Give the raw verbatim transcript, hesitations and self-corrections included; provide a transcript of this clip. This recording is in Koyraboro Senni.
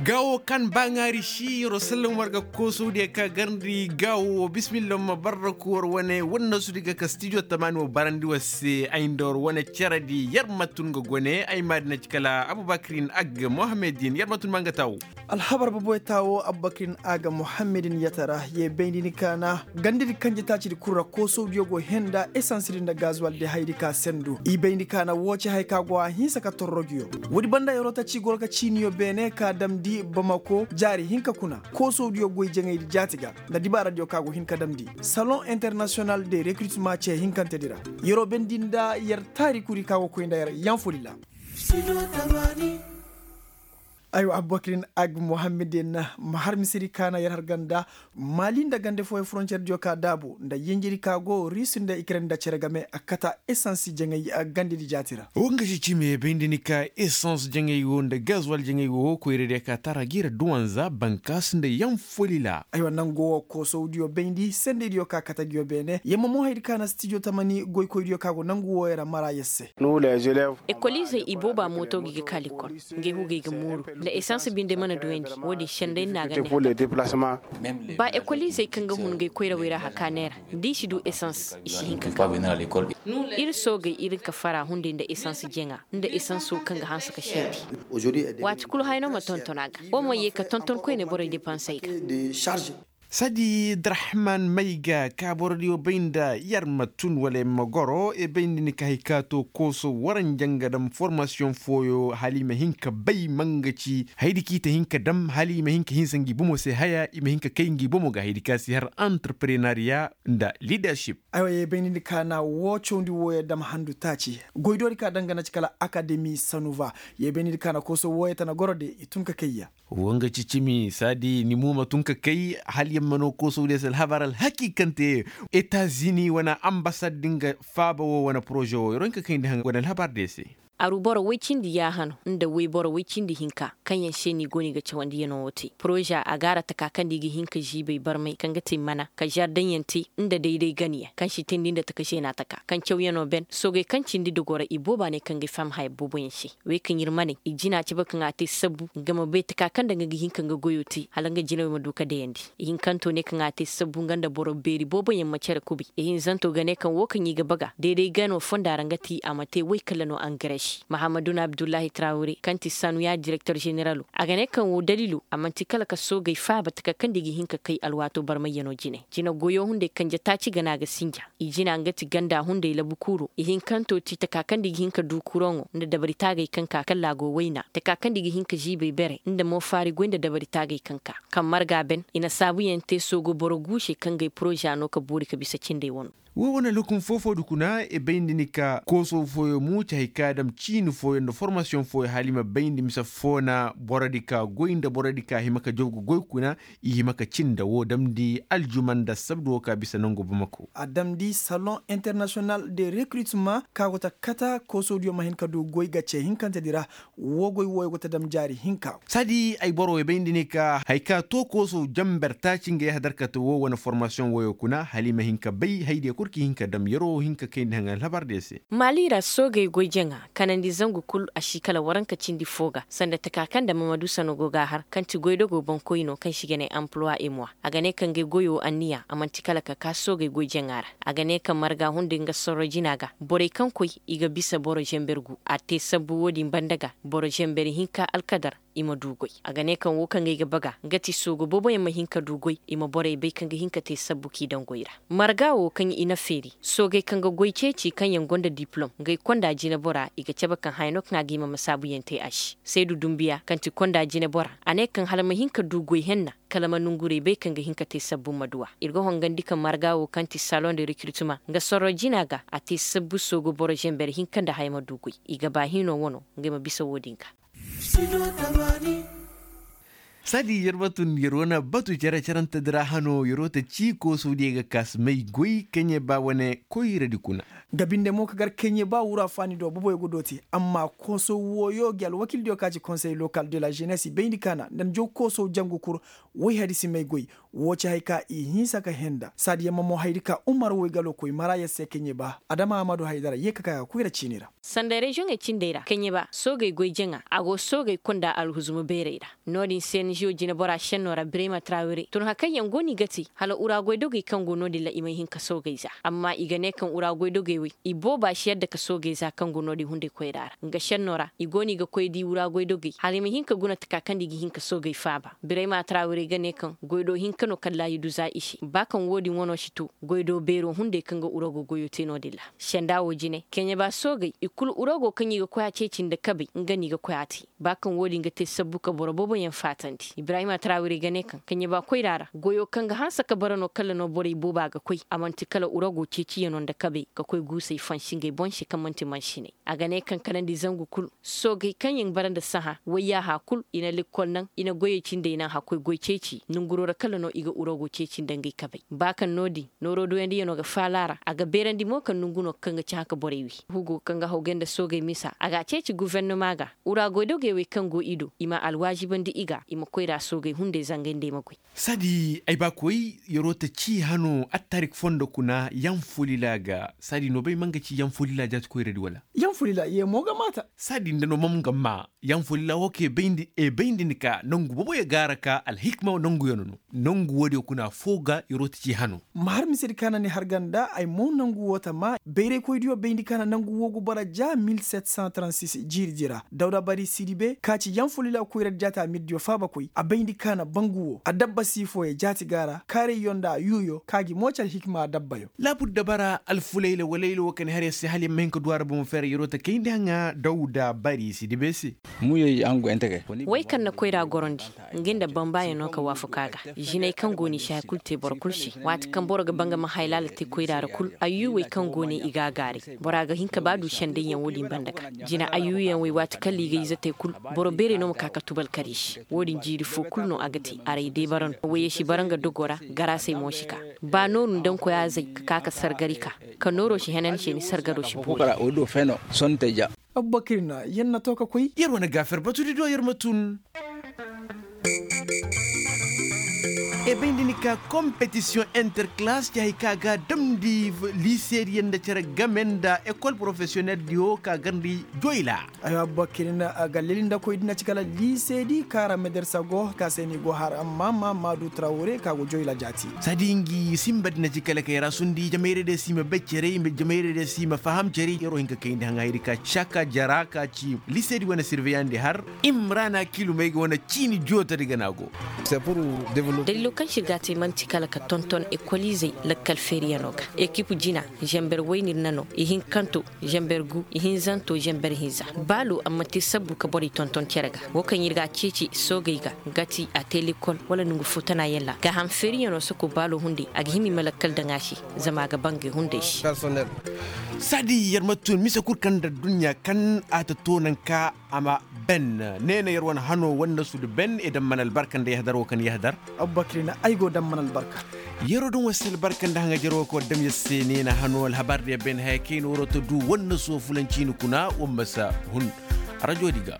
Gaawo kaŋ baaŋaari si yer'o sallam war ga koosawdiyo ka garndi gaawo wo bismillah ma barraku war wane wannasudi ga ka stijo tamaani wo barandi war se ay nda war wane ceredi yer ma tun ga gone ay maadina ci kala abubakrin ag mohammedin yer ma tun ma nga taawo. Alhabar boboy taawo abubakrin ag mohammedin yatara ye bayndi ni kaana gandidi kanje taacidi kul ra koosawdiyo go henda esansidi nda gazuwaldi haydi ka sendu i bayndi kaana woo ci hay ka go a hinsa ka torrogiyo. Woodi banda yer'o ta ci goro ka ciiniyo beene ka damndi bamako jaari hinka kuna koosawdiyo goy jaŋaydi jaati ga nda dibaaradiyo ka go hin ka damndi salon internasiyonal de rekritema ce hinkantedi ra. Yer'o bendi nda yer taari kuri ka go koy nda yer yaŋ foli ra. Aywa abubakirin ag mohammedin ma har misiri kaana yer har ganda maali nda gande fooyaŋ foroncerdiyo ka daabu nda yinjiri ka go risi nda ikren nda cere game a kata esans jaŋay gandedi jaati ra. Wo nga si cime bayndi ni ka esans jaŋay wo nda gazuwal jaŋay wo koyradiyo ka tara ga yer duwanza bankaas nda yaŋ folila. Aywa nangu wo koosawdiyo bayndi sendeydiyo ka kate nguyo beene yamma mo haydi ka na stijo tamani goykoydiyo ka go nangu wooyo ra mara yer se. Ekoliizey ibooba mooto ga i ga ka likol. Ngey hugey ga mooru nda esans binde mana duyandi. Wo-din sendey no a ga ne. Ba ekoliizey kaŋ ga hun ngey koyrawey ra hakaanay ra da i si du esans i si hin ka ka. Ir soogey ir nka fara hunday nda esans jaŋa nda esans wo kaŋ ga hanse ka seedi. Waati kulu haya no ma tonton a ga wo ma ye ka tonton koyne borey depansey ga. Sadi darahman may ga ka borodiyo bay nda yer ma tun wala yer ma goro e bay nda ni ka hay ka to kooso waranjaŋ ga dam formasiyoŋ fooyo hala i ma hin ka bay ma nga ci haydi kaŋ i ta hin ka dam hala i ma hin ka hinsa ngi bomo se haya i ma hin ka kay ngi bomo ga haydi kaŋ a si har antarprenariya nda lidership. Aywa ye bay nda ni ka na woo cawndi wooyo dam handu taaci goy doori ka dangana ci kala akademi sanuva. Ye bay nda ni ka na kooso wooyo tana goro de i tun ka kayya. Woo nga ci cimi saadi ni mo ma tun ka kay hala yer ma noo koosawdiyo se alhabar alhakiikante. Etazini wane ambasad din ga faaba woo wane poroze woo yer wo hin ka kayndi haŋ wane alhabar diyo se. Aru boro woy cindi yaahano nda woy boro woy cindi hinka kaŋ yaŋ se no i go no i ga cawandiyanoo woo te poroze a gaara taka kaŋ nda i ga hin ka ziibay barmay kaŋ ga te mana ka zardaŋyaŋ te nda dayday ganayaŋ kaŋ si teendi nda taka zeena taka kaŋ cawyanoo ben soogey kaŋ cindi dogoo ra ibooba ne kaŋ ga ay faham haya booboyaŋ se. Wey kaŋ ir ma ne i jina cabe kaŋ a te sabbu nga ma bay taka kaŋ nda nga ga hin ka nga goyoo te hala nga jinawey ma du ka dayandi. Ihinkanto ne kaŋ a te sabbu nga nda boro beeri booboyaŋ ma cere kubay ihinzanto ga ne kaŋ woo kaŋ i ga baga dayday gano fonda ra nga ti a ma te woy kala no angarasi mahamadun abdullahi trawre kaŋ ti sanuya direktor zeneralo a ga ne kaŋ woo daliilo a man'ti kala ka soogey faaba taka kaŋ nda i ga hin ka kay alwaatoo barmayyanoo jine. Jina goyoo hunday kanje taaci gana ga sinja. I jina nga ti ganda hunday labu kuuroo ihinkanto ti taka kaŋ nda i ga hin ka duu kuroŋo nda dabari taagey kaŋ ka kala a go wayna taka kaŋ nda i ga hin ka ziibay bere nda moofaari goy nda dabari taagey kaŋ ka kaŋ marga ben i na saabuyaŋ te soogo boro guuse kaŋ ga ay poroza no ka boori ka bisa cindey wano. Woo wane lukum foo-foo du kuna i bay nda ni ka kooso fooyo mo ci hay ka dam ciini fooyo nda formasiyoŋ fooyo hala i ma bay nda mise foo na borodi ka goy nda borodi ka hima ka jaw ga goy kuna. I hima ka cin nda woo damndi aljuma nda sabdu woo ka bisa nangu bamako. A damndi salon internasiyonal de rekritema ka go ta kata koosodiyo ma hin ka du goy ga ce hinkantedi ra. Woo goy wooyo go ta dam jaari hinka. Saadi ay boro way bay nda ni ka hay ka to kooso jamber taaci ngey hadarkate woo wane formasiyoŋ wooyo kuna hala i ma hin ka bay haydiyo kul kaŋ i hin ka dam yeroo hin ka kayndi haŋ alhabardiyo se. Maali ra soogey goy jaŋa kanandi zangu kul a si kala waranka cindi foo ga sanda taka kaŋ nda mamadu sano go ga a har kaŋ ti goydogoo boŋkoy no kaŋ se i ga ne ampuluwa emuwa. A ga ne kaŋ ngey goyoo anniya a man'ti kala ka ka soogey goy jaŋa ra. A ga ne kaŋ marga hunday nga sorro jina ga borey kaŋ koy i ga bisa boro zember gu a te sabbu woo din banda ga boro zember hinka alkadar. I ma du goy a ga ne kaŋ woo kaŋ ay ga baga nga ti soogo booboyaŋ ma hin ka du goy i ma borey bay kaŋ ga hin ka te sabbu k'i daŋ goy ra. Marga woo kaŋ i na feeri soogey kaŋ ga goy ceeci kaŋ yaŋ gonda dipilom ngey konda jinebora i ga cabe kaŋ haya no kaŋ a ga hima ma saabuyaŋ te a se. Saydu dumbiya kaŋ ti konda jinebora a ne kaŋ hala ma hin ka du goy henna kala ma nongurey bay kaŋ ga hin ka te sabbu ma du a. Ir ga hongandi kaŋ marga woo kaŋ ti saloŋ de rekirtuma nga sorro jina ga a te sabbu soogo boro zember hinka nda haya ma du goy. I ga ba hino wano ngey ma bisa woo din ga. Saadi yer ma tun yer wane batu cere-cerante di ra hano yer wo ta cii koosodiyo ga kaasi may goy kaɲe ba wane koyradi kuna. Nga binde mo ka gar kaɲe ba wura faani do boboyo ga dooti. Amma kooso wooyo gi alwakildiyo ka ci konsey lokal de la ženes i bayndi kaana nda njaw kooso jangu kur. Woy hari si may goy. Woo ci hay ka i hinsa ka henda saadiyaŋ ma mo haydi ka umar woy galo koy mara yer se kaɲe ba adama amadu haydara yee ka ka ga koyra ciini ra. Sanda reziyoŋey cindey ra kaɲe ba soogey goy jaŋa a go soogey konda alhuzuma beerey ra. No-din se ni ziyo jinebora šenno ra birayma trawire tun hakaŋ yaŋ go no i ga te hala ura goydogey kaŋ go no-din ra i may hin ka soogey za. Amma i ga ne kaŋ ura goydogey wey i booba si yadda ka soogey za kaŋ go no-din hunday koyra ra nga šenno ra i go no i ga koy di ura goydogey hala i ma hin ka guna taka kaŋ nda i ga hin ka soogey faaba birayma trawire ga ne kaŋ goydo hinka no kaŋ ra i du za i se ba kaŋ wo-din wano si to goydo beero hunday kaŋ ga urago goyo te no-din ra. Senda wo jine kaɲe ba soogey i kulu urago kaŋ i ga koy a ceeci nda kabey nga no i ga koy a te. Ba kaŋ wo-din ga te sabbu ka boro booboyaŋ faatandi ibrahima tarawiri ga ne kaŋ kaɲe ba koyra ra goyo kaŋ ga hanse ka bara no kala no borey booba ga koy a man'ti kala urago ceeciyano nda kabey ka koy guusey fansi ngey boŋ se kaŋ man'ti mansiney. A ga ne kaŋ kalandi zangu kul soogey kaŋ yaŋ bara nda sahã wayyaaha kul i na lekkol naŋ i na goyey cindey naŋ hakkoy goy ceeci nanguro ra kala no i ga urago ceeci nda ngey kabey ba kaŋ no-din nooro duyandiyano ga faala ra a ga beerandi mo kaŋ nangu no kaŋ ga ci hã ka borey wi. Hugo kaŋ ga hawgay nda soogey misa a ga a ceeci gufernama ga ura goydogey wey kaŋ go i do i ma alwaazibandi i ga i ma koyra soogey hunday zangay nda ay ma goy. Saadi ay ba koy yeroo ta cii hano attarik fondo kuna yanfolila ga saadi no bay ma nga ci yanfolila jaati koyradi wala? Yanfolila ye mo ga maata. Saadi nda no ma nga maa yanfolila wo kaŋ e bayndi ni ka nangu boboyo gaara ka alhikma nanguyano no. Nangu woodiyo kuna afoo ga yeroo ta cii hano. Ma har misedi kaŋ na ni har ganda ay mo nangu woo ta maa bayraykoydiyo bayndi kaŋ na nangu woo ga bara ja mil set san transis jiiridi ra dawda bari sidibe ka ci yanfolila koyradi jaati amirdiyo faabakoy a bayndi kaŋ na bangu woo adabba siifooyo jaati ga a ra kaarayyo nda yuuyo ka gi mo ci alhikima adabbayo. Laabudda bara alfulayla walayla woo ka ni har yer se hala yer ma hin ka du a ra bomo feera yeroo ta kayndi haŋa dawda bari sidibe se. Wey kaŋ na koyra gorandi nga nda bambaayo no ka waafaku a ga. Jinay kaŋ go no i si haya kulu te boro kulu se waati kaŋ boro ga ba nga ma haylaala te koyra ra kulu ayyuuwey kaŋ go no i ga a gaaray. Bora ga hin ka ba du sendayyaŋ wo-din banda ga jina ayyuuyaŋ wey waati kaŋ liigay ize te kulu boro beerey no ma ka ka tubal kar i se wo-din jiiri foo kul no a ga te aray day bara no wayey si bara nga dogoo ra garaasey mo si ka. Ba nooru nda nkoyaazey ka ka ka sargari ka ka nooroo si henan se ni sargaroo si boori. Abubakar na yer na to ka koy yer wane gaafer batudi do yer ma tun. E bay nda ni ka kompetisiyoŋ interkalaas ci hay ka ga a damndi liiseediyaŋ nda cere game nda ekol porofesiyoneldiyo ka garndi joyla. Aywa abubakar na a ga leli nda koy di na ci kala liiseedi kaŋ ra medersa go ka se no i go har amma ma maadu tarawre ka go joyla jaati. Saadi ngi simba di na ci kala kay ra sundi jamayradiyo si ma bay cere jamayradiyo si ma faham cere yeroo hin ka kayndi haŋa haydi ka caka jara ka ci liiseedi wane sirveyandi har imrana kilumey ga wane ciini jootadi gana go. Dalilo kaŋ se ir ga a te man'ti kala ka tonton ekoliizey lakkal feeriyano ga ekip jina, zamber woyne ir na no ihinkanto, zamber gu ihinzanto zamber hinza. Baalo a ma te sabbu ka borey tonton cere ga wo kaŋ ir ga a ceeci soogey ga ga ti a te lekkol wala nongu foo tana yalla gaaham feeriyano soko baalo hunday a ga hima i ma lakkal daŋ a se. Zama a ga bangay hunday se. Saadi yer ma tun mise kul kaŋ nda adduɲɲa kaŋ a ta to naŋ ka a ma ben. Ne na yer wane hano wannasu nda ben i daŋ mana albarka nda yahdar wo kaŋ yahdar. Abubakar na ay go daŋ mana albarka. Yeroo daŋ wasa albarka nda haŋajer wo kaŋ war daŋ yer se ne na hano alhabar diya ben haya kayna waroo ta du wannasu wo fulanciini kuna war ma si hun. Rajodi ga.